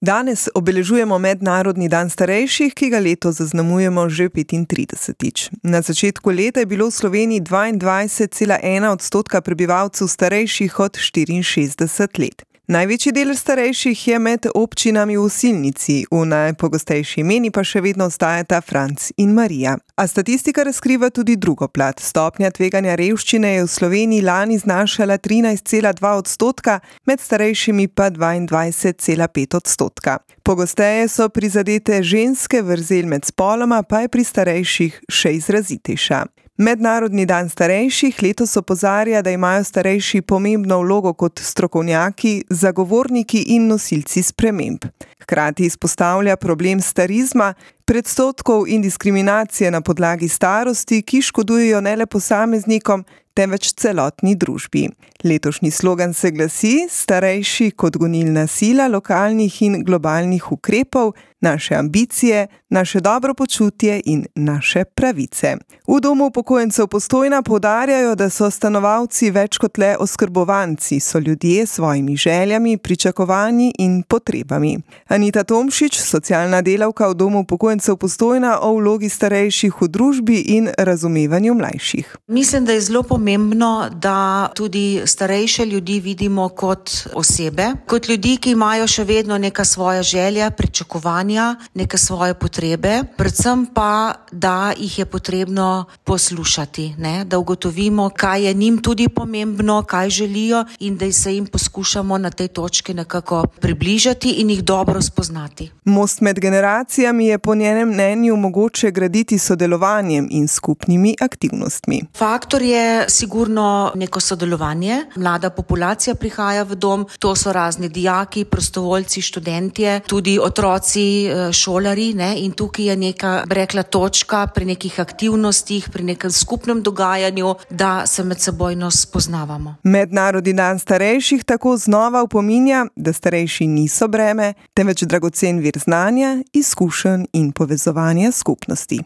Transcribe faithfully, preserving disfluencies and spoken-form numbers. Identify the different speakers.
Speaker 1: Danes obeležujemo Mednarodni dan starejših, ki ga letos zaznamujemo že petintridesetič. Na začetku leta je bilo v Sloveniji dvaindvajset celih ena odstotka prebivalcev starejših od štiriinšestdeset let. Največji del starejših je med občinami v Osilnici, v najpogostejši imeni pa še vedno ostajata Franc in Marija. A statistika razkriva tudi drugo plat. Stopnja tveganja revščine je v Sloveniji lani znašala trinajst celih dva odstotka, med starejšimi pa dvaindvajset celih pet odstotka. Pogosteje so prizadete ženske, vrzel med spoloma pa je pri starejših še izrazitejša. Mednarodni dan starejših letos opozarja, da imajo starejši pomembno vlogo kot strokovnjaki, zagovorniki in nosilci sprememb. Hkrati izpostavlja problem starizma, predsodkov in diskriminacije na podlagi starosti, ki škodujejo ne le posameznikom, temveč celotni družbi. Letošnji slogan se glasi: starejši kot gonilna sila lokalnih in globalnih ukrepov, naše ambicije, naše dobro počutje in naše pravice. V Domu upokojencev Postojna poudarjajo, da so stanovalci več kot le oskrbovanci, so ljudje s svojimi željami, pričakovanji in potrebami. Anita Tomšič, socialna delavka v Domu upokojencev Postojna, o vlogi starejših v družbi in razumevanju mlajših.
Speaker 2: Mislim, da je zelo pomembno, da tudi starejše ljudi vidimo kot osebe, kot ljudi, ki imajo še vedno neka svoja želja, pričakovanja, neke svoje potrebe, predvsem pa, da jih je potrebno poslušati, ne? Da ugotovimo, kaj je njim tudi pomembno, kaj želijo in da se jim poskušamo na tej točki nekako približati in jih dobro spoznati.
Speaker 1: Most med generacijami je po njenem mnenju mogoče graditi sodelovanjem in skupnimi aktivnostmi.
Speaker 2: Faktor je sigurno neko sodelovanje. Mlada populacija prihaja v dom, to so razni dijaki, prostovoljci, študentje, tudi otroci, šolari, ne? In tukaj je neka, rekla, točka pri nekih aktivnostih, pri nekem skupnem dogajanju, da se med sebojno spoznavamo.
Speaker 1: Mednarodni dan starejših tako znova opominja, da starejši niso breme, temveč dragocen vir znanja, izkušenj in povezovanja skupnosti.